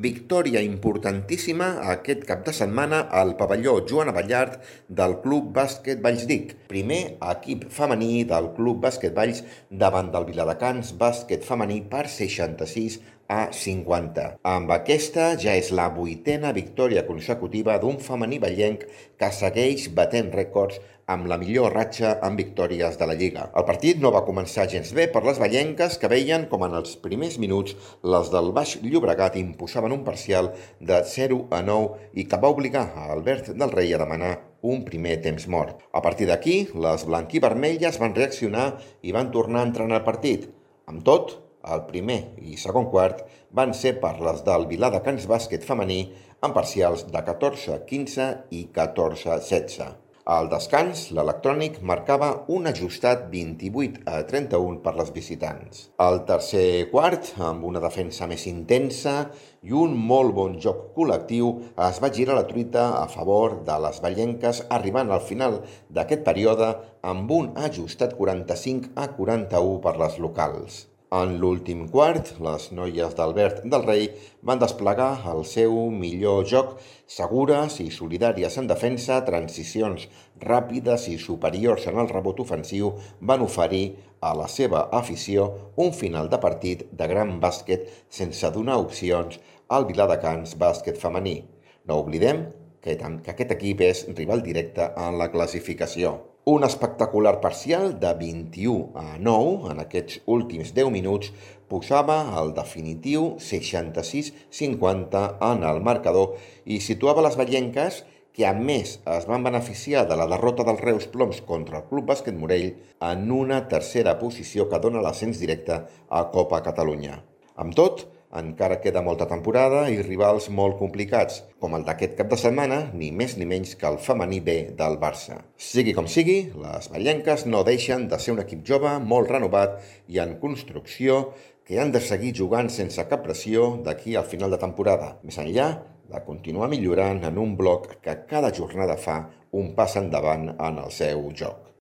Victòria importantíssima aquest cap de setmana al pavelló Joan Abellart del Club Bàsquet Vallsdic. Primer equip femení del Club Bàsquet Valls davant del Viladecans Bàsquet Femení per 66-50. Amb aquesta ja és la 8a victòria consecutiva d'un femení vallenc que segueix batent rècords amb la millor ratxa en victòries de la Lliga. El partit no va començar gens bé per les vallenques que veien com en els primers minuts les del Baix Llobregat imposaven un parcial de 0-9 i que va obligar a Albert del Rei a demanar un primer temps mort. A partir d'aquí, les blanquivermelles van reaccionar i van tornar a entrar en el partit. Amb tot, el primer i segon quart van ser per les del Viladecans Bàsquet Femení amb parcials de 14-15 i 14-16. Al descans, l'Electrònic marcava un ajustat 28-31 per les visitants. Al tercer quart, amb una defensa més intensa i un molt bon joc col·lectiu, es va girar la truita a favor de les vallenques, arribant al final d'aquest període amb un ajustat 45-41 per les locals. En l'últim quart, les noies d'Albert del Rei van desplegar el seu millor joc, segures i solidàries en defensa, transicions ràpides i superiors en el rebot ofensiu van oferir a la seva afició un final de partit de gran bàsquet sense donar opcions al Viladecans Bàsquet Femení. No oblidem que aquest equip és rival directe en la classificació. Un espectacular parcial de 21-9 en aquests últims 10 minuts posava el definitiu 66-50 en el marcador i situava les vallenques que a més es van beneficiar de la derrota dels Reus Ploms contra el Club Bàsquet Morell en una tercera posició que dona l'ascens directe a Copa Catalunya. Amb tot, encara queda molta temporada i rivals molt complicats, com el d'aquest cap de setmana, ni més ni menys que el femení B del Barça. Sigui com sigui, les vallenques no deixen de ser un equip jove, molt renovat i en construcció, que han de seguir jugant sense cap pressió d'aquí al final de temporada, més enllà de continuar millorant en un bloc que cada jornada fa un pas endavant en el seu joc.